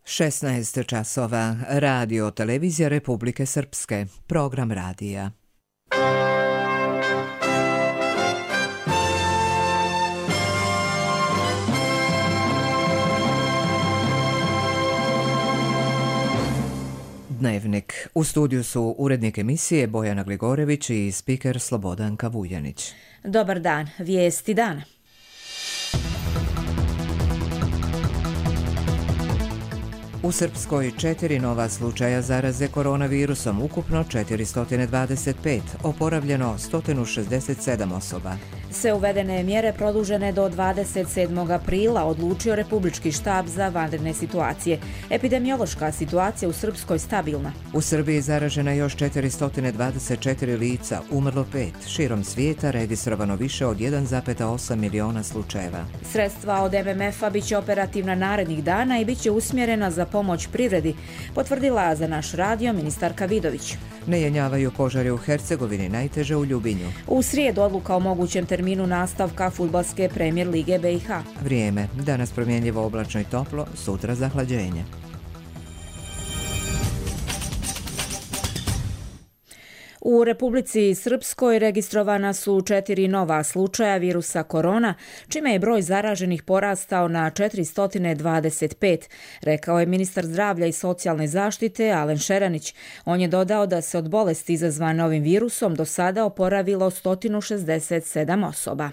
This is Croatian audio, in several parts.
16 časova. Radio Televizija Republike Srpske. Program radija. Dnevnik. U studiju su urednik emisije Bojana Gligorević i spiker Slobodanka Vuljanić. Dobar dan. Vijesti dana. U Srpskoj 4 nova slučaja zaraze koronavirusom, ukupno 425, oporavljeno 167 osoba. Sve uvedene mjere produžene do 27. aprila odlučio Republički štab za vanredne situacije. Epidemiološka situacija u Srpskoj stabilna. U Srbiji zaražena još 424 lica, umrlo 5. Širom svijeta registrovano više od 1,8 miliona slučajeva. Sredstva od MMF-a biće operativna narednih dana i biće usmjerena za pomoć privredi, potvrdila za naš radio ministarka Vidović. Ne jenjavaju požari u Hercegovini, najteže u Ljubinju. U srijedu odluka o mogućem terminu nastavka fudbalske premijer lige BiH. Vrijeme. Danas promjenljivo oblačno i toplo, sutra zahlađenje. U Republici Srpskoj registrovana su 4 nova slučaja virusa korona, čime je broj zaraženih porastao na 425, rekao je ministar zdravlja i socijalne zaštite Alen Šeranić. On je dodao da se od bolesti izazvane ovim virusom do sada oporavilo 167 osoba.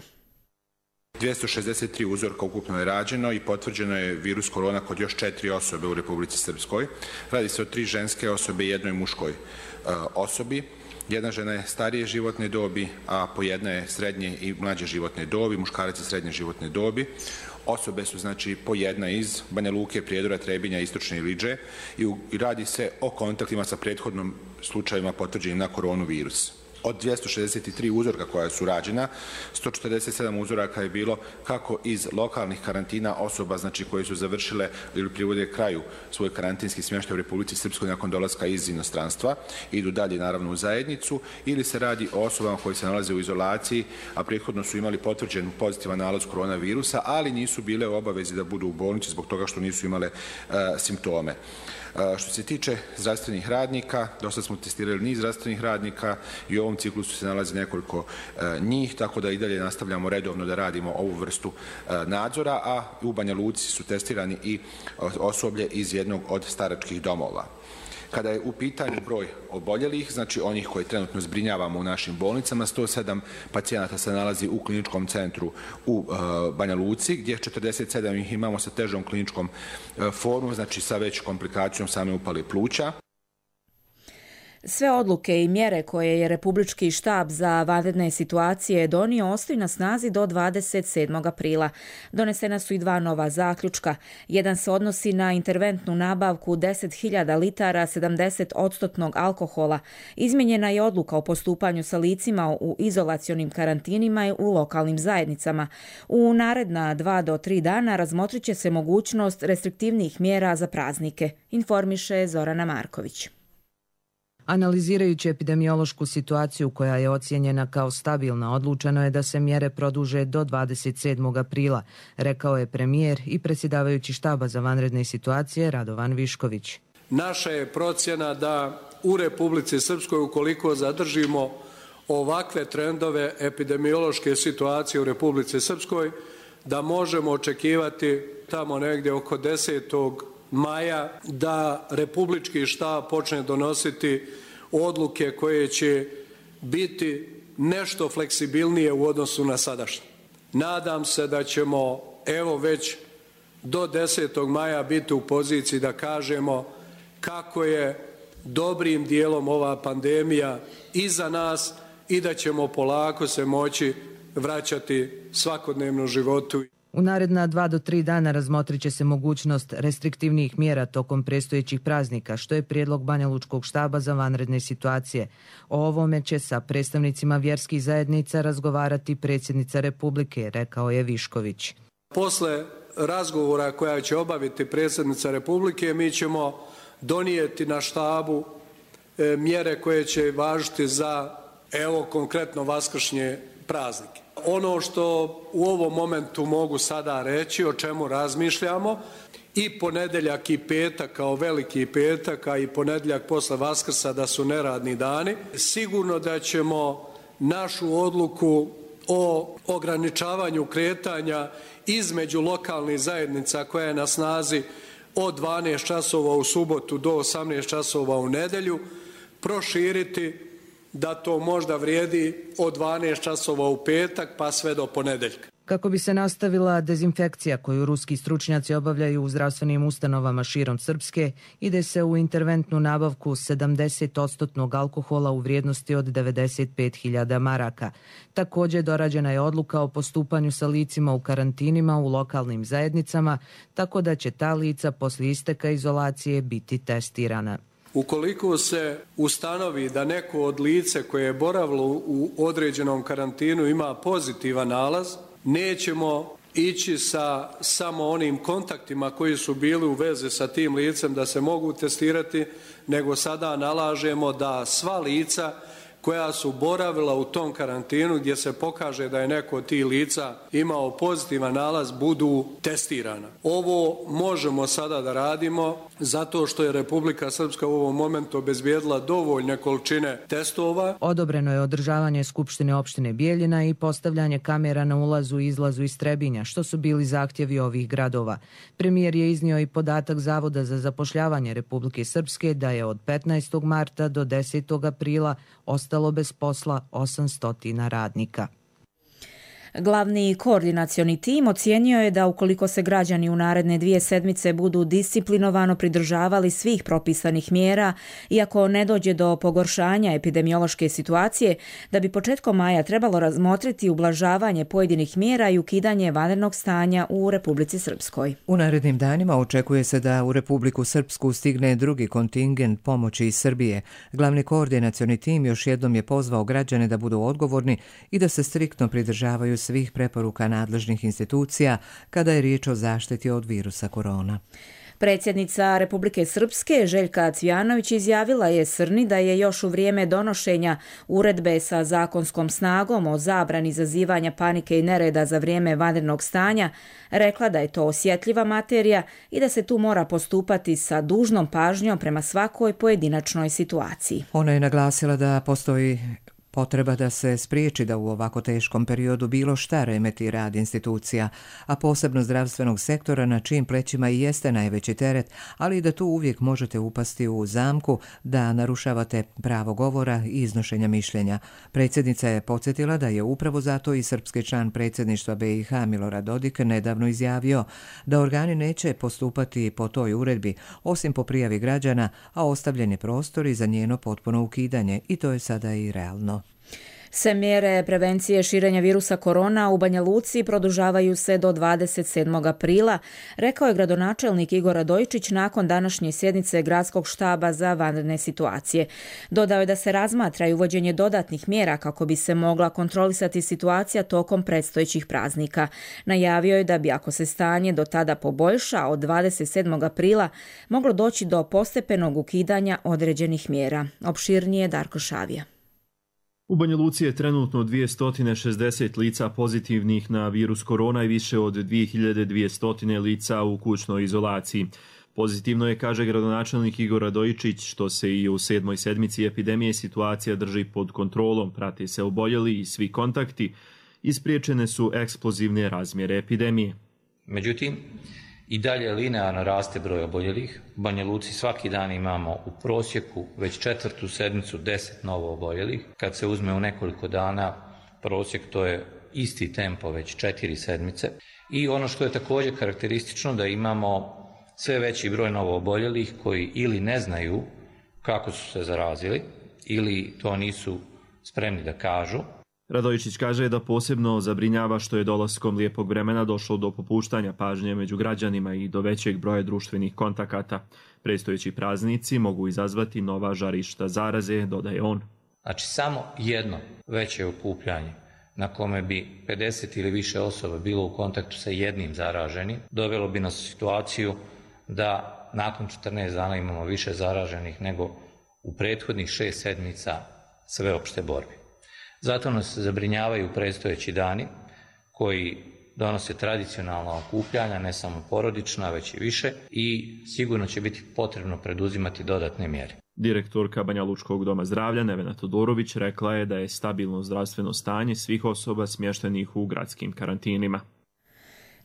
263 uzorka ukupno je rađeno i potvrđeno je virus korona kod još 4 osobe u Republici Srpskoj. Radi se o 3 ženske osobe i jednoj muškoj osobi. Jedna žena je starije životne dobi, a po jedna je srednje i mlađe životne dobi, muškarac je srednje životne dobi. Osobe su znači po jedna iz Banja Luke, Prijedora, Trebinja, Istočne Ilidže i radi se o kontaktima sa prethodnim slučajevima potvrđenim na koronavirus. Od 263 uzorka koja su rađena, 147 uzoraka je bilo kako iz lokalnih karantina osoba znači koje su završile ili privode kraju svoj karantinski smještaj u Republici Srpskoj nakon dolaska iz inostranstva, idu dalje naravno u zajednicu, ili se radi o osobama koji se nalaze u izolaciji, a prethodno su imali potvrđen pozitivan nalaz koronavirusa, ali nisu bile u obavezi da budu u bolnici zbog toga što nisu imale simptome. Što se tiče zdravstvenih radnika, dosta smo testirali niz zdravstvenih radnika i u ovom ciklusu se nalazi nekoliko njih, tako da i dalje nastavljamo redovno da radimo ovu vrstu nadzora, a u Banja Luci su testirani i osoblje iz jednog od staračkih domova. Kada je u pitanju broj oboljelih, znači onih koje trenutno zbrinjavamo u našim bolnicama, 107 pacijenata se nalazi u kliničkom centru u Banja Luci, gdje 47 ih imamo sa težom kliničkom formom, znači sa većom komplikacijom same upale pluća. Sve odluke i mjere koje je Republički štab za vanredne situacije donio ostaju na snazi do 27. aprila. Donesena su i 2 nova zaključka. Jedan se odnosi na interventnu nabavku 10.000 litara 70% alkohola. Izmijenjena je odluka o postupanju sa licima u izolacionim karantinima i u lokalnim zajednicama. U naredna 2 do 3 dana razmotrit će se mogućnost restriktivnih mjera za praznike, informiše Zorana Marković. Analizirajući epidemiološku situaciju koja je ocijenjena kao stabilna, odlučeno je da se mjere produže do 27. aprila, rekao je premijer i predsjedavajući štaba za vanredne situacije Radovan Višković. Naša je procjena da u Republici Srpskoj, ukoliko zadržimo ovakve trendove epidemiološke situacije u Republici Srpskoj, da možemo očekivati tamo negdje oko 10. maja da Republički štab počne donositi odluke koje će biti nešto fleksibilnije u odnosu na sadašnje. Nadam se da ćemo evo već do 10. maja biti u poziciji da kažemo kako je dobrim dijelom ova pandemija iza nas i da ćemo polako se moći vraćati svakodnevnom životu. U naredna 2 do 3 dana razmotrit će se mogućnost restriktivnijih mjera tokom predstojećih praznika, što je prijedlog Banjalučkog štaba za vanredne situacije. O ovome će sa predstavnicima vjerskih zajednica razgovarati predsjednica Republike, rekao je Višković. Posle razgovora koja će obaviti predsjednica Republike, mi ćemo donijeti na štabu mjere koje će važiti za, evo konkretno, vaskršnje praznike. Ono što u ovom momentu mogu sada reći, o čemu razmišljamo, i ponedjeljak i petak kao veliki petak, a i ponedjeljak posle Vaskrsa da su neradni dani. Sigurno da ćemo našu odluku o ograničavanju kretanja između lokalnih zajednica koja je na snazi od 12 časova u subotu do 18 časova u nedjelju proširiti da to možda vrijedi od 12 časova u petak pa sve do ponedjeljka. Kako bi se nastavila dezinfekcija koju ruski stručnjaci obavljaju u zdravstvenim ustanovama širom Srpske, ide se u interventnu nabavku 70% alkohola u vrijednosti od 95.000 maraka. Također dorađena je odluka o postupanju sa licima u karantinima u lokalnim zajednicama, tako da će ta lica poslije isteka izolacije biti testirana. Ukoliko se ustanovi da neko od lice koje je boravilo u određenom karantinu ima pozitivan nalaz, nećemo ići sa samo onim kontaktima koji su bili u vezi sa tim licem da se mogu testirati, nego sada nalažemo da sva lica koja su boravila u tom karantinu gdje se pokaže da je neko od tih lica imao pozitivan nalaz budu testirana. Ovo možemo sada da radimo zato što je Republika Srpska u ovom momentu obezbijedila dovoljne količine testova. Odobreno je održavanje Skupštine opštine Bijeljina i postavljanje kamera na ulazu i izlazu iz Trebinja, što su bili zahtjevi ovih gradova. Premijer je iznio i podatak Zavoda za zapošljavanje Republike Srpske da je od 15. marta do 10. aprila ostalo bez posla 800 radnika. Glavni koordinacioni tim ocijenio je da ukoliko se građani u naredne 2 sedmice budu disciplinovano pridržavali svih propisanih mjera, iako ne dođe do pogoršanja epidemiološke situacije, da bi početkom maja trebalo razmotriti ublažavanje pojedinih mjera i ukidanje vanrednog stanja u Republici Srpskoj. U narednim danima očekuje se da u Republiku Srpsku stigne drugi kontingent pomoći iz Srbije. Glavni koordinacioni tim još jednom je pozvao građane da budu odgovorni i da se striktno pridržavaju svih preporuka nadležnih institucija kada je riječ o zaštiti od virusa korona. Predsjednica Republike Srpske Željka Cvijanović izjavila je Srni da je još u vrijeme donošenja uredbe sa zakonskom snagom o zabrani izazivanja panike i nereda za vrijeme vanrednog stanja rekla da je to osjetljiva materija i da se tu mora postupati sa dužnom pažnjom prema svakoj pojedinačnoj situaciji. Ona je naglasila da postoji potreba da se spriječi da u ovako teškom periodu bilo šta remeti rad institucija, a posebno zdravstvenog sektora na čijim plećima i jeste najveći teret, ali i da tu uvijek možete upasti u zamku da narušavate pravo govora i iznošenja mišljenja. Predsjednica je podsjetila da je upravo zato i srpski član predsjedništva BiH Milorad Dodik nedavno izjavio da organi neće postupati po toj uredbi, osim po prijavi građana, a ostavljen je prostor i za njeno potpuno ukidanje i to je sada i realno. Sve mjere prevencije širenja virusa korona u Banja Luci produžavaju se do 27. aprila, rekao je gradonačelnik Igor Radojičić nakon današnje sjednice Gradskog štaba za vanredne situacije. Dodao je da se razmatra i uvođenje dodatnih mjera kako bi se mogla kontrolisati situacija tokom predstojećih praznika. Najavio je da bi, ako se stanje do tada poboljša, od 27. aprila moglo doći do postepenog ukidanja određenih mjera. Opširnije Darko Šavija. U Banja Luci je trenutno 260 lica pozitivnih na virus korona i više od 2200 lica u kućnoj izolaciji. Pozitivno je, kaže gradonačelnik Igor Radojičić, što se i u 7. sedmici epidemije situacija drži pod kontrolom, prate se oboljeli i svi kontakti, ispriječene su eksplozivne razmjere epidemije. Međutim, i dalje linearno raste broj oboljelih. U Banja Luci svaki dan imamo u prosjeku već 4. sedmicu 10 novo oboljelih. Kad se uzme u nekoliko dana prosjek, to je isti tempo već 4 sedmice. I ono što je također karakteristično da imamo sve veći broj novo oboljelih koji ili ne znaju kako su se zarazili ili to nisu spremni da kažu. Radojičić kaže da posebno zabrinjava što je dolaskom lijepog vremena došlo do popuštanja pažnje među građanima i do većeg broja društvenih kontakata. Predstojeći praznici mogu izazvati nova žarišta zaraze, dodaje on. Znači samo jedno veće okupljanje na kome bi 50 ili više osoba bilo u kontaktu sa jednim zaraženim, dovelo bi nas u situaciju da nakon 14 dana imamo više zaraženih nego u prethodnih 6 sedmica sveopšte borbe. Zato nas zabrinjavaju predstojeći dani koji donose tradicionalna okupljanja, ne samo porodična, već i više, i sigurno će biti potrebno preduzimati dodatne mjere. Direktorka Banjalučkog doma zdravlja Nevena Todorović rekla je da je stabilno zdravstveno stanje svih osoba smještenih u gradskim karantinima.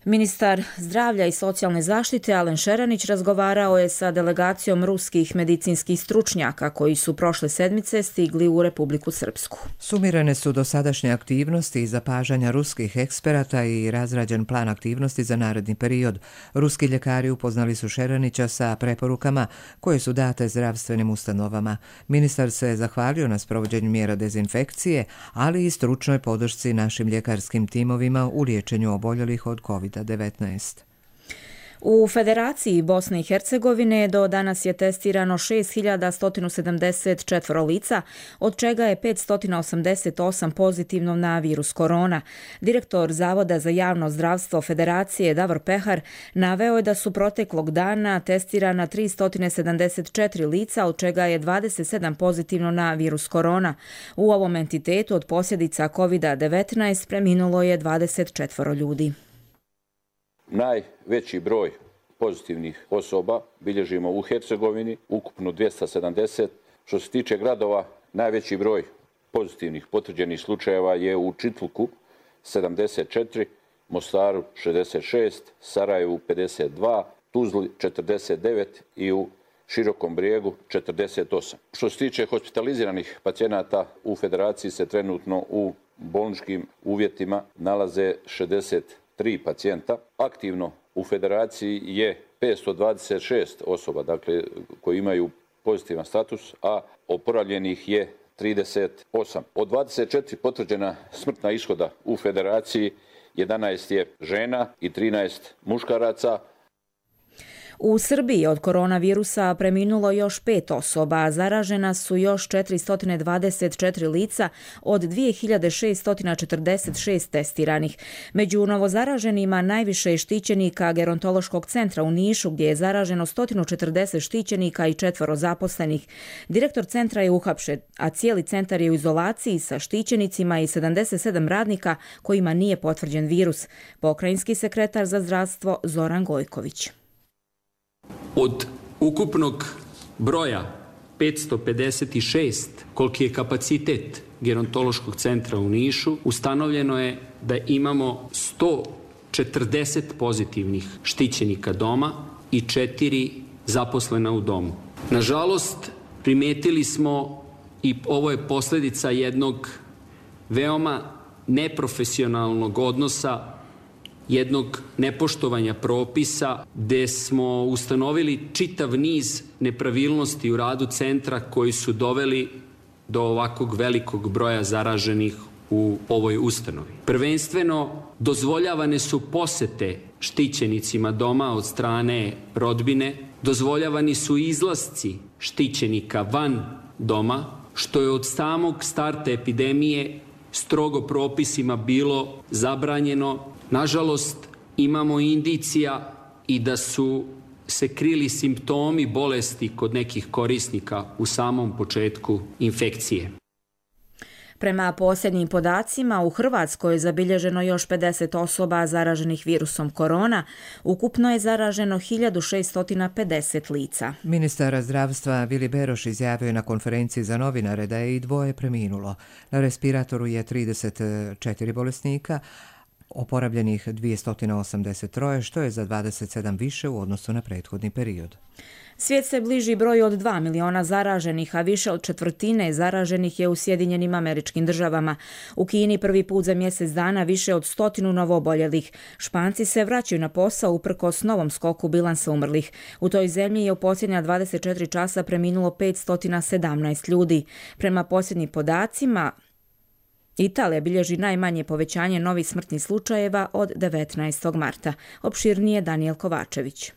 Ministar zdravlja i socijalne zaštite Alen Šeranić razgovarao je sa delegacijom ruskih medicinskih stručnjaka koji su prošle sedmice stigli u Republiku Srpsku. Sumirane su dosadašnje aktivnosti i zapažanja ruskih eksperata i razrađen plan aktivnosti za naredni period. Ruski ljekari upoznali su Šeranića sa preporukama koje su date zdravstvenim ustanovama. Ministar se zahvalio na sprovođenju mjera dezinfekcije, ali i stručnoj podršci našim ljekarskim timovima u liječenju oboljelih od COVID-19. U Federaciji Bosne i Hercegovine do danas je testirano 6.174 lica, od čega je 588 pozitivno na virus korona. Direktor Zavoda za javno zdravstvo Federacije Davor Pehar naveo je da su proteklog dana testirana 374 lica, od čega je 27 pozitivno na virus korona. U ovom entitetu od posljedica COVID-19 preminulo je 24 ljudi. Najveći broj pozitivnih osoba bilježimo u Hercegovini, ukupno 270. Što se tiče gradova, najveći broj pozitivnih potvrđenih slučajeva je u Čitluku 74, Mostaru 66, Sarajevu 52, Tuzli 49 i u Širokom Brijegu 48. Što se tiče hospitaliziranih pacijenata, u Federaciji se trenutno u bolničkim uvjetima nalaze 63 pacijenta. Aktivno u Federaciji je 526 osoba, dakle, koji imaju pozitivan status, a oporavljenih je 38. Od 24 potvrđena smrtna ishoda u Federaciji, 11 je žena i 13 muškaraca. U Srbiji od koronavirusa preminulo još 5 osoba, zaražena su još 424 lica od 2646 testiranih. Među novozaraženima najviše je štićenika Gerontološkog centra u Nišu, gdje je zaraženo 140 štićenika i 4 zaposlenih. Direktor centra je uhapšen, a cijeli centar je u izolaciji sa štićenicima i 77 radnika kojima nije potvrđen virus. Pokrajinski sekretar za zdravstvo Zoran Gojković. Od ukupnog broja 556, koliki je kapacitet Gerontološkog centra u Nišu, ustanovljeno je da imamo 140 pozitivnih štićenika doma i 4 zaposlena u domu. Nažalost, primijetili smo, i ovo je posljedica jednog veoma neprofesionalnog odnosa, jednog nepoštovanja propisa, gdje smo ustanovili čitav niz nepravilnosti u radu centra koji su doveli do ovakvog velikog broja zaraženih u ovoj ustanovi. Prvenstveno, dozvoljavane su posete štićenicima doma od strane rodbine, dozvoljavani su izlasci štićenika van doma, što je od samog starta epidemije strogo propisima bilo zabranjeno. Nažalost, imamo indicija i da su se krili simptomi bolesti kod nekih korisnika u samom početku infekcije. Prema posljednjim podacima, u Hrvatskoj je zabilježeno još 50 osoba zaraženih virusom korona. Ukupno je zaraženo 1650 lica. Ministar zdravstva Vili Beroš izjavio je na konferenciji za novinare da je i 2 preminulo. Na respiratoru je 34 bolesnika, oporavljenih 283, što je za 27 više u odnosu na prethodni period. Svijet se bliži broju od 2 miliona zaraženih, a više od četvrtine zaraženih je u Sjedinjenim Američkim Državama. U Kini prvi put za mjesec dana više od 100 novooboljelih. Španci se vraćaju na posao uprkos novom skoku bilansa umrlih. U toj zemlji je u posljednja 24 časa preminulo 517 ljudi. Prema posljednjim podacima, Italija bilježi najmanje povećanje novih smrtnih slučajeva od 19. marta. Opširnije Danijel Kovačević.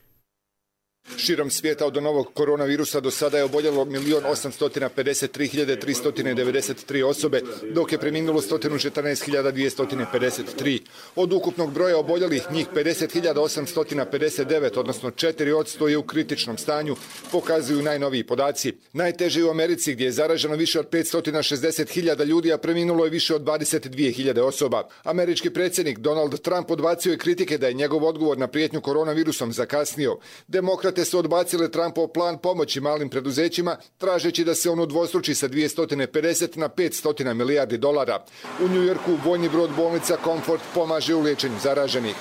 Širom svijeta od novog koronavirusa do sada je oboljelo 1.853.393 osobe, dok je preminulo 114.253. Od ukupnog broja oboljelih njih 50.859, odnosno 4% je u kritičnom stanju, pokazuju najnoviji podaci. Najteže je u Americi gdje je zaraženo više od 560.000 ljudi, a preminulo je više od 22.000 osoba. Američki predsjednik Donald Trump odbacio je kritike da je njegov odgovor na prijetnju koronavirusom zakasnio. Demokrate su odbacile Trumpov plan pomoći malim preduzećima, tražeći da se on udvostruči sa 250 na 500 milijardi dolara. U New Yorku vojni brod bolnica Comfort pomaže u liječenju zaraženih.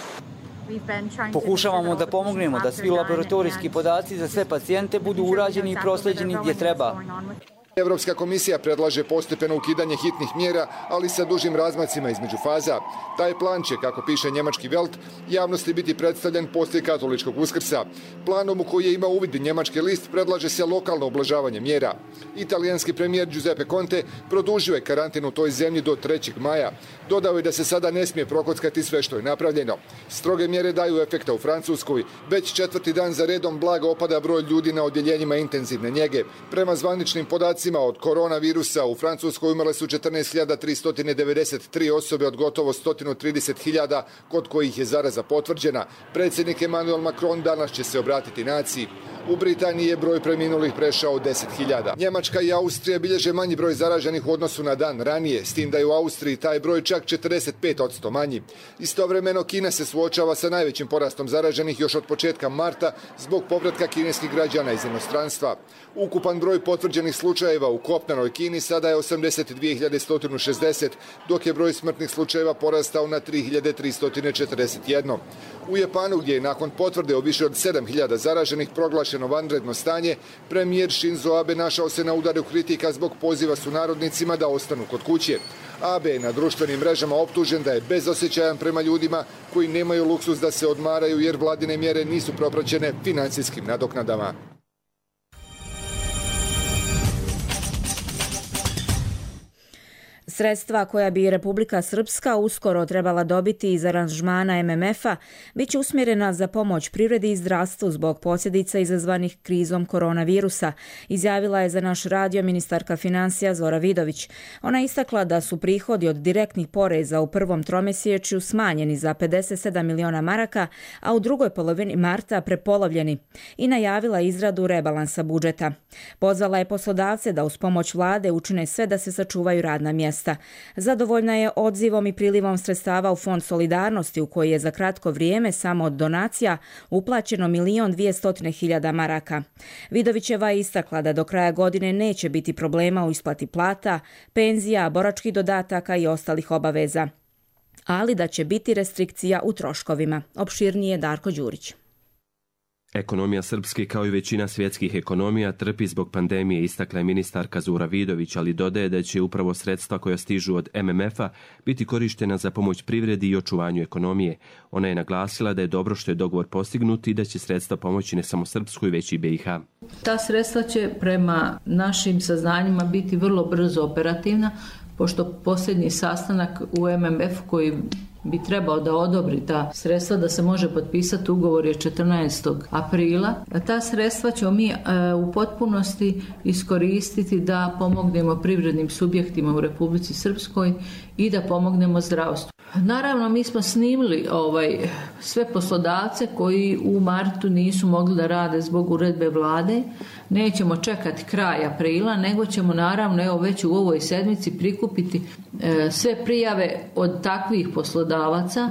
Pokušavamo da pomognemo da svi laboratorijski podaci za sve pacijente budu urađeni i prosleđeni gdje treba. Evropska komisija predlaže postepeno ukidanje hitnih mjera, ali sa dužim razmacima između faza. Taj plan će, kako piše njemački Welt, javnosti biti predstavljen poslije katoličkog Uskrsa. Planom u koji je imao uvid njemački list predlaže se lokalno ublažavanje mjera. Italijanski premijer Giuseppe Conte produžio je karantin u toj zemlji do 3. maja. Dodao je da se sada ne smije prokockati sve što je napravljeno. Stroge mjere daju efekta u Francuskoj. Već 4. dan za redom blago opada broj ljudi na odjeljenjima intenzivne njege. Prema zvaničnim podacima od koronavirusa u Francuskoj umrle su 14.393 osobe od gotovo 130.000 kod kojih je zaraza potvrđena. Predsjednik Emmanuel Macron danas će se obratiti naciji. U Britaniji je broj preminulih prešao 10.000. Njemačka i Austrija bilježe manji broj zaraženih u odnosu na dan ranije, s tim da je u Austriji taj broj čak 45% manji. Istovremeno Kina se suočava sa najvećim porastom zaraženih još od početka marta zbog povratka kineskih građana iz inostranstva. Ukupan broj potvrđenih slučajeva u kopnenoj Kini sada je 82.160, dok je broj smrtnih slučajeva porastao na 3.341. U Japanu, gdje je nakon potvrde o više od 7.000 zaraženih proglašeno vanredno stanje, premijer Shinzo Abe našao se na udaru kritika zbog poziva sunarodnicima da ostanu kod kuće. Abe je na društvenim mrežama optužen da je bezosjećajan prema ljudima koji nemaju luksuz da se odmaraju jer vladine mjere nisu propraćene financijskim nadoknadama. Sredstva koja bi Republika Srpska uskoro trebala dobiti iz aranžmana MMF-a bit će usmjerena za pomoć privredi i zdravstvu zbog posljedica izazvanih krizom koronavirusa, izjavila je za naš radio ministarka financija Zora Vidović. Ona je istakla da su prihodi od direktnih poreza u prvom tromjesečju smanjeni za 57 miliona maraka, a u drugoj polovini marta prepolovljeni i najavila izradu rebalansa budžeta. Pozvala je poslodavce da uz pomoć vlade učine sve da se sačuvaju radna mjesta. Zadovoljna je odzivom i prilivom sredstava u Fond solidarnosti u koji je za kratko vrijeme samo od donacija uplaćeno 1.200.000 maraka. Vidovićeva je istakla da do kraja godine neće biti problema u isplati plata, penzija, boračkih dodataka i ostalih obaveza, ali da će biti restrikcija u troškovima. Opširnije Darko Đurić. Ekonomija Srpske, kao i većina svjetskih ekonomija, trpi zbog pandemije, istakla je ministarka Zora Vidović, ali dodaje da će upravo sredstva koja stižu od MMF-a biti korištena za pomoć privredi i očuvanju ekonomije. Ona je naglasila da je dobro što je dogovor postignut i da će sredstva pomoći ne samo Srpskoj, već i BiH. Ta sredstva će prema našim saznanjima biti vrlo brzo operativna, pošto posljednji sastanak u MMF koji bi trebao da odobri ta sredstva da se može potpisati ugovor je 14. aprila. Ta sredstva ćemo mi u potpunosti iskoristiti da pomognemo privrednim subjektima u Republici Srpskoj i da pomognemo zdravstvu. Naravno, mi smo snimili sve poslodavce koji u martu nisu mogli da rade zbog uredbe vlade. Nećemo čekati kraj aprila, nego ćemo naravno već u ovoj sedmici prikupiti sve prijave od takvih poslodavaca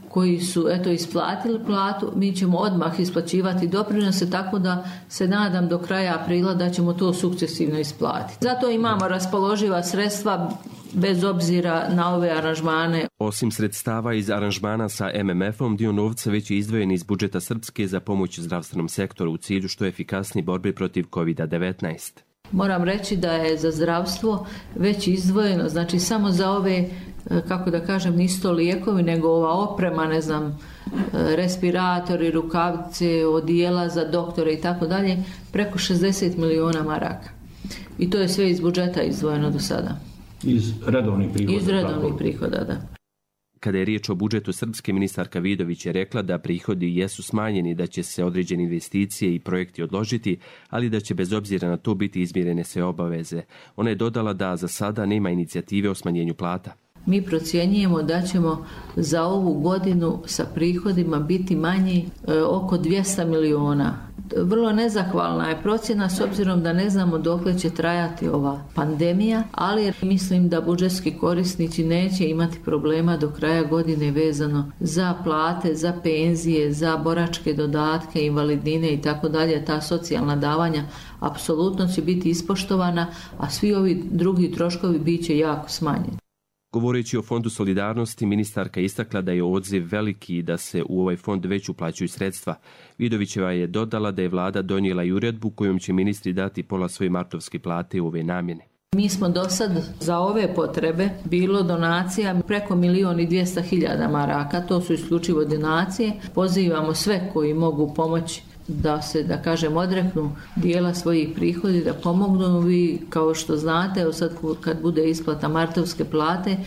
koji su isplatili platu. Mi ćemo odmah isplaćivati doprinose, tako da se nadam do kraja aprila da ćemo to sukcesivno isplatiti. Zato imamo raspoloživa sredstva bez obzira na ove aranžmane. Osim sredstava iz aranžmana sa MMF-om, dio novca već je izdvojen iz budžeta Srpske za pomoć zdravstvenom sektoru u cilju što efikasnije borbe protiv COVID-19. Moram reći da je za zdravstvo već izdvojeno, znači samo za ove, kako da kažem, nisu to lijekovi, nego ova oprema, respiratori, rukavice, odijela za doktore i tako dalje, preko 60 miliona maraka. I to je sve iz budžeta izdvojeno do sada. Iz redovnih prihoda. Iz redovnih prihoda, da. Kada je riječ o budžetu srpske, ministarka Vidović je rekla da prihodi jesu smanjeni, da će se određene investicije i projekti odložiti, ali da će bez obzira na to biti izmirene sve obaveze. Ona je dodala da za sada nema inicijative o smanjenju plata. Mi procjenjujemo da ćemo za ovu godinu sa prihodima biti manji oko 200 miliona. Vrlo nezahvalna je procjena s obzirom da ne znamo dokle će trajati ova pandemija, ali mislim da budžetski korisnici neće imati problema do kraja godine vezano za plate, za penzije, za boračke dodatke, invalidnine i tako dalje. Ta socijalna davanja apsolutno će biti ispoštovana, a svi ovi drugi troškovi bit će jako smanjeni. Govoreći o Fondu solidarnosti, ministarka istakla da je odziv veliki i da se u ovaj fond već uplaćuju sredstva. Vidovićeva je dodala da je vlada donijela i uredbu kojom će ministri dati pola svoje martovske plate u ove namjene. Mi smo do sad za ove potrebe bilo donacija preko 1.200.000 maraka, to su isključivo donacije. Pozivamo sve koji mogu pomoći da se, da kažem, odreknu dijela svojih prihodi, da pomognu. Vi, kao što znate, sad kad bude isplata martovske plate,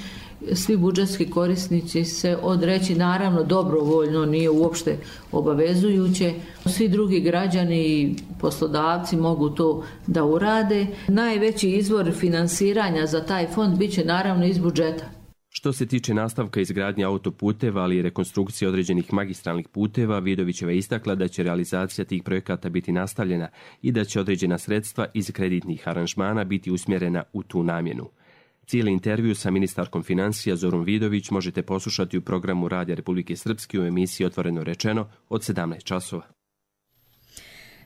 svi budžetski korisnici se odreći, naravno dobrovoljno, nije uopšte obavezujuće. Svi drugi građani i poslodavci mogu to da urade. Najveći izvor finansiranja za taj fond bit će naravno iz budžeta. Što se tiče nastavka izgradnje autoputeva, ali i rekonstrukcije određenih magistralnih puteva, Vidovićeva je istakla da će realizacija tih projekata biti nastavljena i da će određena sredstva iz kreditnih aranžmana biti usmjerena u tu namjenu. Cijeli intervju sa ministarkom financija Zorom Vidović možete poslušati u programu Radija Republike Srpske u emisiji Otvoreno rečeno od 17 časova.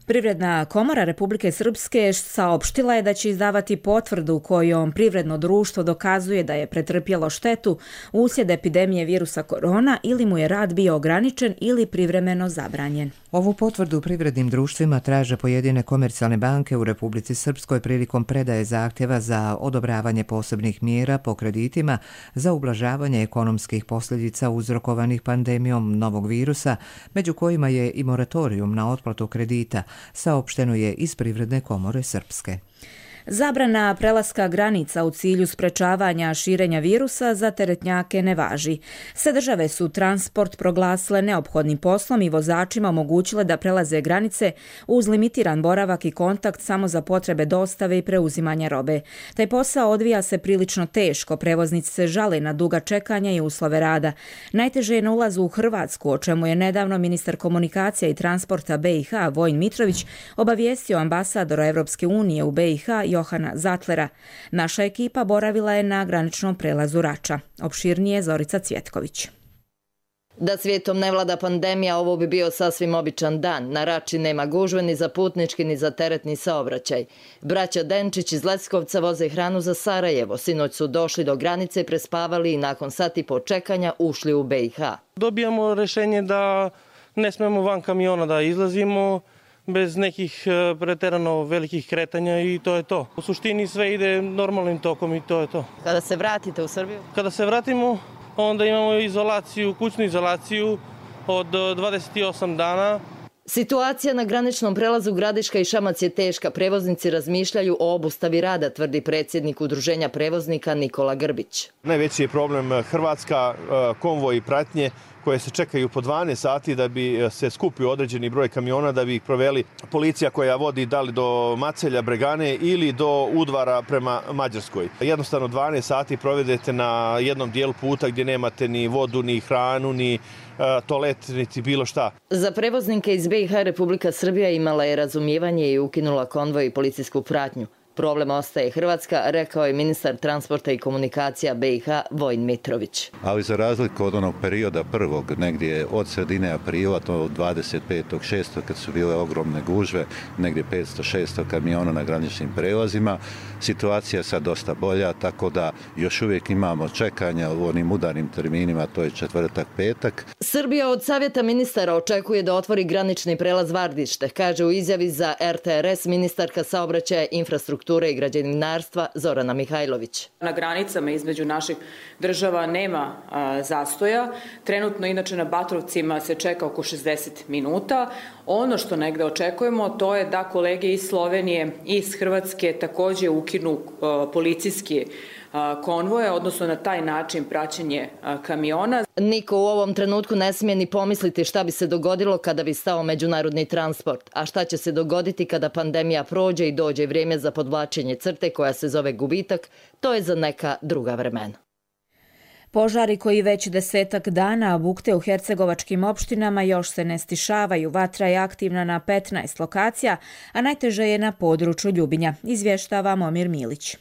Privredna komora Republike Srpske saopštila je da će izdavati potvrdu kojom privredno društvo dokazuje da je pretrpjelo štetu uslijed epidemije virusa korona ili mu je rad bio ograničen ili privremeno zabranjen. Ovu potvrdu privrednim društvima traže pojedine komercijalne banke u Republici Srpskoj prilikom predaje zahtjeva za odobravanje posebnih mjera po kreditima za ublažavanje ekonomskih posljedica uzrokovanih pandemijom novog virusa, među kojima je i moratorijum na otplatu kredita, saopšteno je iz Privredne komore Srpske. Zabrana prelaska granica u cilju sprečavanja širenja virusa za teretnjake ne važi. Sve države su transport proglasile neophodnim poslom i vozačima omogućile da prelaze granice uz limitiran boravak i kontakt samo za potrebe dostave i preuzimanja robe. Taj posao odvija se prilično teško, prevoznici se žale na duga čekanja i uslove rada. Najteže je na ulazu u Hrvatsku, o čemu je nedavno ministar komunikacija i transporta BiH Vojin Mitrović obavijestio ambasadora Evropske unije u BiH Johana Zatlera. Naša ekipa boravila je na graničnom prelazu Rača. Opširnije Zorica Cvjetković. Da svijetom ne vlada pandemija, ovo bi bio sasvim običan dan. Na Rači nema gužve ni za putnički ni za teretni saobraćaj. Braća Denčić iz Leskovca voze hranu za Sarajevo. Sinoć su došli do granice, prespavali i nakon sat i po čekanja ušli u BiH. Dobijamo rješenje da ne smemo van kamiona da izlazimo bez nekih preterano velikih kretanja i to je to. U suštini sve ide normalnim tokom i to je to. Kada se vratite u Srbiju? Kada se vratimo, onda imamo izolaciju, kućnu izolaciju od 28 dana. Situacija na graničnom prelazu Gradiška i Šamac je teška. Prevoznici razmišljaju o obustavi rada, tvrdi predsjednik Udruženja prevoznika Nikola Grbić. Najveći je problem Hrvatska, konvoj i pratnje koje se čekaju po 12 sati da bi se skupio određeni broj kamiona, da bi ih proveli policija koja vodi da li do Macelja, Bregane ili do Udvara prema Mađarskoj. Jednostavno 12 sati provedete na jednom dijelu puta gdje nemate ni vodu, ni hranu, ni toalet, niti bilo šta. Za prevoznike iz BiH Republika Srbija imala je razumijevanje i ukinula konvoj i policijsku pratnju. Problem ostaje Hrvatska, rekao je ministar transporta i komunikacija BiH Vojin Mitrović. Ali za razliku od onog perioda prvog, negdje od sredine aprila, to 25.6. kad su bile ogromne gužve, negdje 500-600 kamiona na graničnim prelazima, situacija je sad dosta bolja, tako da još uvijek imamo čekanja u onim udarnim terminima, to je četvrtak, petak. Srbija od savjeta ministara očekuje da otvori granični prelaz Vardište, kaže u izjavi za RTRS ministarka saobraćaja, infrastrukture i građevinarstva Zorana Mihajlović. Na granicama između naših država nema zastoja. Trenutno inače na Batrovcima se čeka oko 60 minuta. Ono što negde očekujemo to je da kolege iz Slovenije i iz Hrvatske također ukinu policijske konvoja, odnosno na taj način praćenje kamiona. Niko u ovom trenutku ne smije ni pomisliti šta bi se dogodilo kada bi stao međunarodni transport, a šta će se dogoditi kada pandemija prođe i dođe vrijeme za podvlačenje crte koja se zove gubitak, to je za neka druga vremena. Požari koji već 10 dana bukte u hercegovačkim opštinama još se ne stišavaju. Vatra je aktivna na 15 lokacija, a najteže je na području Ljubinja, izvještava Momir Milić.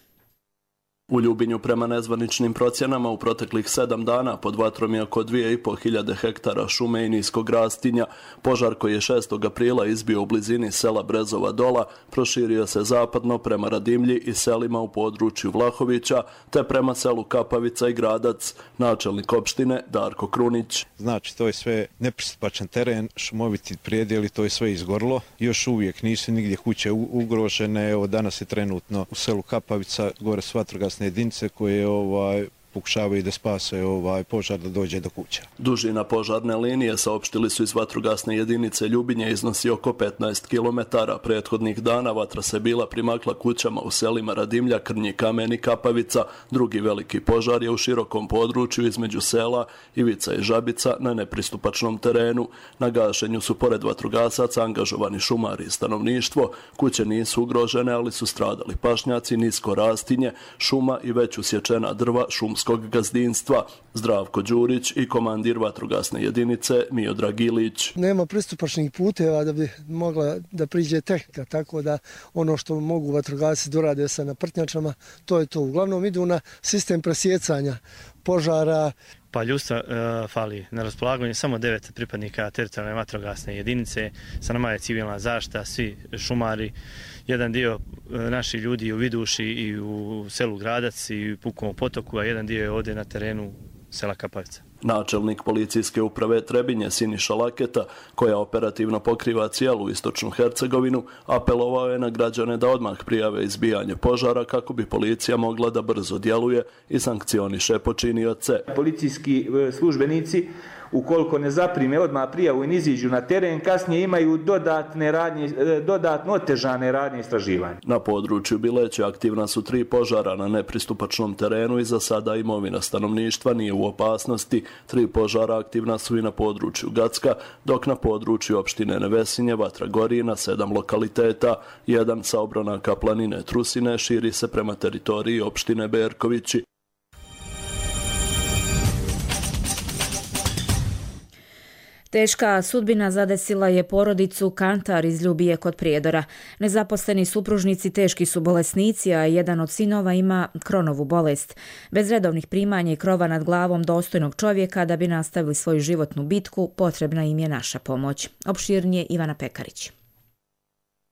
U Ljubinju prema nezvaničnim procjenama u proteklih 7 dana pod vatrom je oko 2500 hektara šume i niskog rastinja. Požar koji je 6. aprila izbio u blizini sela Brezova Dola proširio se zapadno prema Radimlji i selima u području Vlahovića te prema selu Kapavica i Gradac. Načelnik opštine Darko Krunić. Znači, to je sve nepristupačan teren, šumoviti prijedjeli, to je sve izgorilo. Još uvijek nisu nigdje kuće ugrožene. Evo, danas je trenutno u selu Kapavica gore s vatrogasne jedinice koje pokušavaju da spase požar da dođe do kuća. Dužina požarne linije, saopštili su iz vatrogasne jedinice Ljubinje, iznosi oko 15 km. Prethodnih dana vatra se bila primakla kućama u selima Radimlja, Krnji Kamen i Kapavica. Drugi veliki požar je u širokom području između sela Ivica i Žabica na nepristupačnom terenu. Na gašenju su pored vatrogasaca angažovani šumari i stanovništvo. Kuće nisu ugrožene, ali su stradali pašnjaci, nisko rastinje, šuma i već usječena drva šumskog gazdinstva. Zdravko Đurić i komandir vatrogasne jedinice Miodrag Ilić. Nema pristupačnih puteva da bi mogla da priđe tehnika, tako da ono što mogu vatrogasci dorade sa naprtnjačama, to je to. Uglavnom idu na sistem presjecanja požara. Pa ljudstva fali na raspolaganju, samo 9 pripadnika teritorijalne vatrogasne jedinice, sa nama je civilna zaštita, svi šumari, jedan dio naših ljudi u Viduši i u selu Gradac i u Pukovom potoku, a jedan dio je ovdje na terenu sela Kapavica. Načelnik policijske uprave Trebinje Siniša Laketa, koja operativno pokriva cijelu istočnu Hercegovinu, apelovao je na građane da odmah prijave izbijanje požara kako bi policija mogla da brzo djeluje i sankcioniše počinioce. Policijski službenici, ukoliko ne zaprime odmah prijavu i ne iziđu na teren, kasnije imaju dodatno otežane radnje istraživanja. Na području Bileće aktivna su 3 požara na nepristupačnom terenu i za sada imovina stanovništva nije u opasnosti. 3 požara aktivna su i na području Gacka, dok na području opštine Nevesinje vatra gori na 7 lokaliteta. Jedan sa obronaka planine Trusine širi se prema teritoriji opštine Berkovići. Teška sudbina zadesila je porodicu Kantar iz Ljubije kod Prijedora. Nezaposleni supružnici teški su bolesnici, a jedan od sinova ima Kronovu bolest. Bez redovnih primanja i krova nad glavom dostojnog čovjeka da bi nastavili svoju životnu bitku, potrebna im je naša pomoć. Opširnije Ivana Pekarić.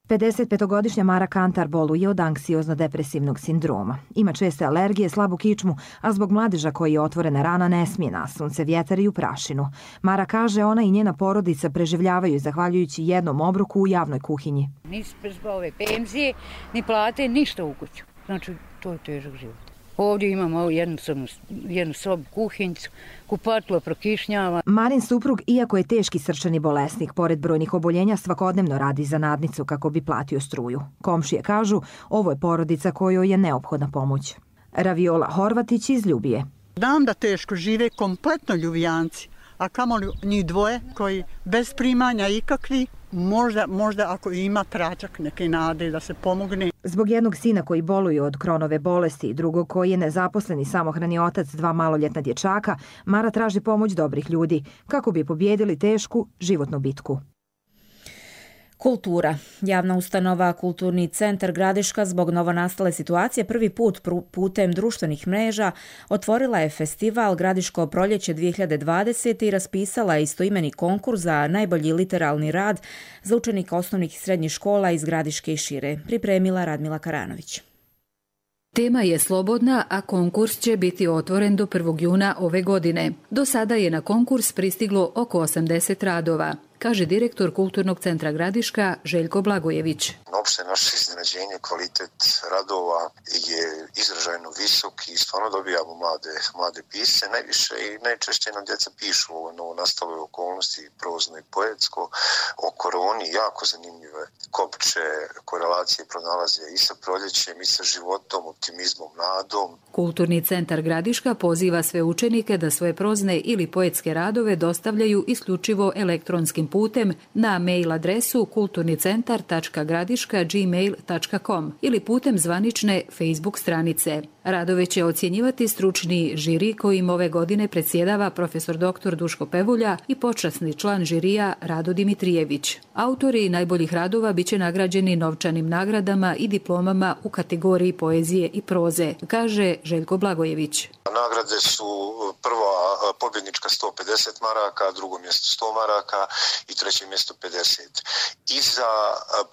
55-godišnja Mara Kantar boluje od anksiozno-depresivnog sindroma. Ima česte alergije, slabu kičmu, a zbog mladeža koji je otvorena rana ne smije na sunce, vjetar i u prašinu. Mara kaže ona i njena porodica preživljavaju zahvaljujući jednom obroku u javnoj kuhinji. Nisi bez ove penzije, ni plate, ništa u kuću. Znači, to je težak život. Ovdje imamo jednu sobu, kuhinjicu, kupatilo prokišnjava. Marin suprug, iako je teški srčani bolesnik, pored brojnih oboljenja svakodnevno radi za nadnicu kako bi platio struju. Komšije kažu, ovo je porodica kojoj je neophodna pomoć. Raviola Horvatić iz Ljubije. Znam da teško žive kompletno Ljubijanci, a kamoli njih dvoje koji bez primanja ikakvi, možda ako ima tračak neke nade da se pomogne. Zbog jednog sina koji boluje od Kronove bolesti i drugog koji je nezaposleni samohrani otac 2 maloljetna dječaka, Mara traži pomoć dobrih ljudi kako bi pobjedili tešku životnu bitku. Kultura. Javna ustanova Kulturni centar Gradiška zbog novonastale situacije prvi put putem društvenih mreža otvorila je festival Gradiško proljeće 2020 i raspisala je istoimeni konkurs za najbolji literalni rad za učenika osnovnih i srednjih škola iz Gradiške i šire. Pripremila Radmila Karanović. Tema je slobodna, a konkurs će biti otvoren do 1. juna ove godine. Do sada je na konkurs pristiglo oko 80 radova, kaže direktor Kulturnog centra Gradiška Željko Blagojević. Opšte naše iznenađenje, kvalitet radova je izražajno visok i stvarno dobijamo mlade pisce. Najviše i najčešće nam djeca pišu o novonastale okolnosti, prozno i poetsko, o koroni, jako zanimljive kopče, korelacije pronalaze i sa proljećem, i sa životom, optimizmom, nadom. Kulturni centar Gradiška poziva sve učenike da svoje prozne ili poetske radove dostavljaju isključivo elektronskim putem na mail adresu kulturnicentar.gradiška@gmail.com ili putem zvanične Facebook stranice. Radove će ocjenjivati stručni žiri kojim ove godine predsjedava profesor dr. Duško Pevulja i počasni član žirija Rado Dimitrijević. Autori najboljih radova biće nagrađeni novčanim nagradama i diplomama u kategoriji poezije i proze, kaže Željko Blagojević. Nagrade su prva pobjednička 150 maraka, drugo mjesto 100 maraka i treće mjesto 50. I za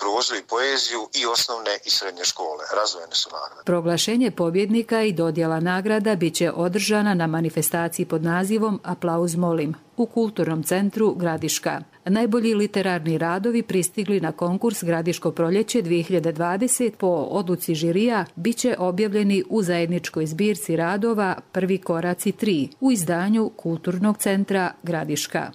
prozu i poeziju i osnovne i srednje škole. Razvojene su nagrade. Proglašenje pobjednika i dodjela nagrada biće održana na manifestaciji pod nazivom Aplauz molim u Kulturnom centru Gradiška. Najbolji literarni radovi pristigli na konkurs Gradiško proljeće 2020 po odluci žirija biće objavljeni u zajedničkoj zbirci radova Prvi koraci 3 u izdanju Kulturnog centra Gradiška.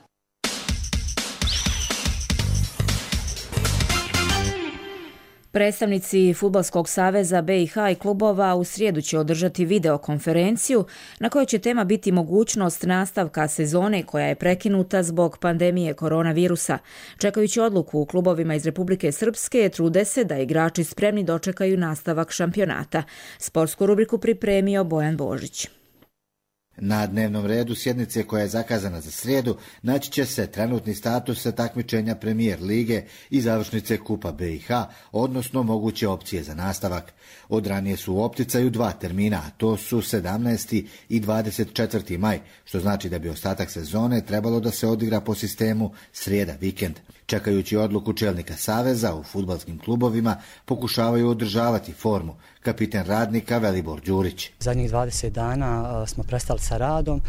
Predstavnici Fudbalskog saveza BiH i klubova u srijedu će održati videokonferenciju na kojoj će tema biti mogućnost nastavka sezone koja je prekinuta zbog pandemije koronavirusa. Čekajući odluku u klubovima iz Republike Srpske, trude se da igrači spremni dočekaju nastavak šampionata. Sportsku rubriku pripremio Bojan Božić. Na dnevnom redu sjednice koja je zakazana za srijedu naći će se trenutni status takmičenja Premijer lige i završnice Kupa BiH, odnosno moguće opcije za nastavak. Od ranije su u opticaju 2 termina, a to su 17. i 24. maj, što znači da bi ostatak sezone trebalo da se odigra po sistemu srijeda vikend. Čekajući odluku čelnika saveza, u fudbalskim klubovima pokušavaju održavati formu. Kapiten Radnika Velibor Đurić. Zadnjih 20 dana smo prestali sa radom,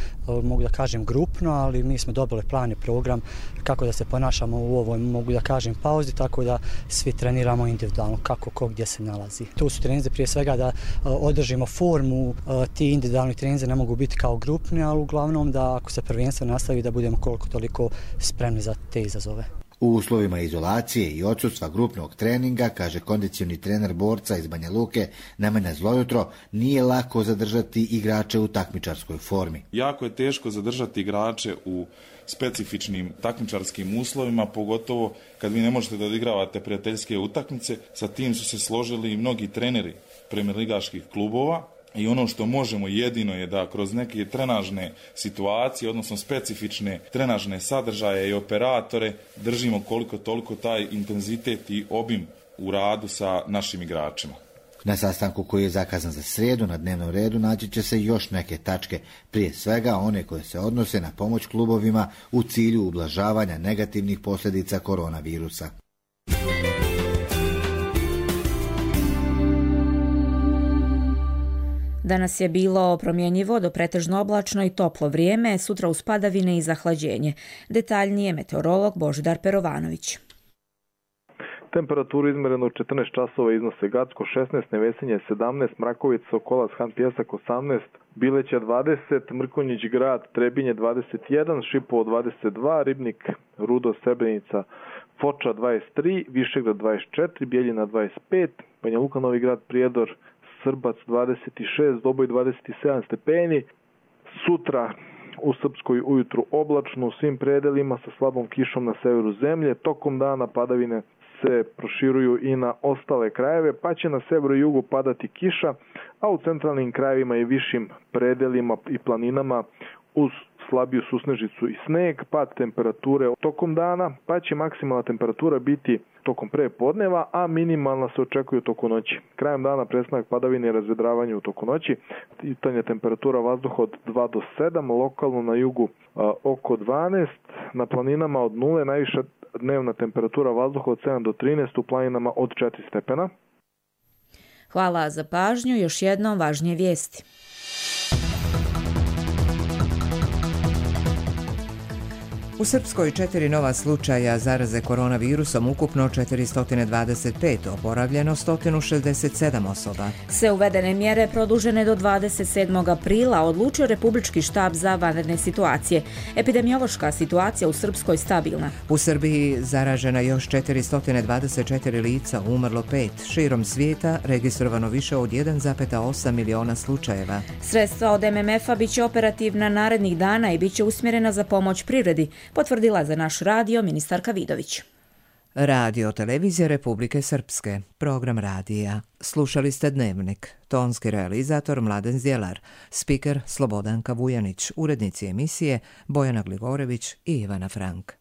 mogu da kažem grupno, ali mi smo dobili plan i program kako da se ponašamo u ovoj, mogu da kažem, pauzi, tako da svi treniramo individualno, kako ko gdje se nalazi. Tu su treninzi prije svega da održimo formu, ti individualni treninzi ne mogu biti kao grupni, ali uglavnom da ako se prvenstvo nastavi da budemo koliko toliko spremni za te izazove. U uslovima izolacije i odsustva grupnog treninga, kaže kondicioni trener borca iz Banja Luke Nemanja Zlojutro, nije lako zadržati igrače u takmičarskoj formi. Jako je teško zadržati igrače u specifičnim takmičarskim uslovima, pogotovo kad vi ne možete da odigravate prijateljske utakmice. Sa tim su se složili i mnogi treneri premijerligaških klubova. I ono što možemo jedino je da kroz neke trenažne situacije, odnosno specifične trenažne sadržaje i operatore, držimo koliko toliko taj intenzitet i obim u radu sa našim igračima. Na sastanku koji je zakazan za srijedu na dnevnom redu naći će se još neke tačke, prije svega one koje se odnose na pomoć klubovima u cilju ublažavanja negativnih posljedica koronavirusa. Danas je bilo promjenjivo do pretežno oblačno i toplo vrijeme, sutra uz padavine i zahlađenje. Detaljnije meteorolog Božidar Perovanović. Temperaturu izmereno u 14 časova iznose Gacko 16, Nevesinje 17, Mrakovica, Sokolac, Han Pjesak 18, Bileća 20, Mrkonjić grad, Trebinje 21, Šipovo 22, Ribnik, Rudo, Srebrenica, Foča 23, Višegrad 24, Bijeljina 25, Banja Luka, Novi grad, Prijedor, Srbac 26, Doboj 27 stepeni. Sutra u Srpskoj ujutru oblačno u svim predelima sa slabom kišom na severu zemlje. Tokom dana padavine se proširuju i na ostale krajeve, pa će na severu i jugu padati kiša, a u centralnim krajevima i višim predelima i planinama uz slabiju susnežicu i sneg, pad temperature tokom dana, pa će maksimalna temperatura biti tokom prepodneva, a minimalna se očekuje tokom noći. Krajem dana prestanak padavine i razvedravanje u toku noći. Tanja temperatura vazduha od 2 do 7, lokalno na jugu oko 12, na planinama od 0, najviša dnevna temperatura vazduha od 7 do 13, u planinama od 4 stepena. Hvala za pažnju, još jednom važnije vijesti. U Srpskoj 4 nova slučaja zaraze koronavirusom, ukupno 425, oporavljeno 167 osoba. Sve uvedene mjere produžene do 27. aprila odlučio Republički štab za vanredne situacije. Epidemiološka situacija u Srpskoj stabilna. U Srbiji zaražena još 424 lica, umrlo 5. Širom svijeta registrovano više od 1,8 miliona slučajeva. Sredstva od MMF-a biće operativna narednih dana i biće usmjerena za pomoć privredi, potvrdila za naš radio ministarka Vidović. Radio Televizija Republike Srpske, program radija. Slušali ste Dnevnik, tonski realizator Mladen Zdjelar, spiker Slobodanka Vujanić, urednici emisije Bojana Glivorević i Ivana Frank.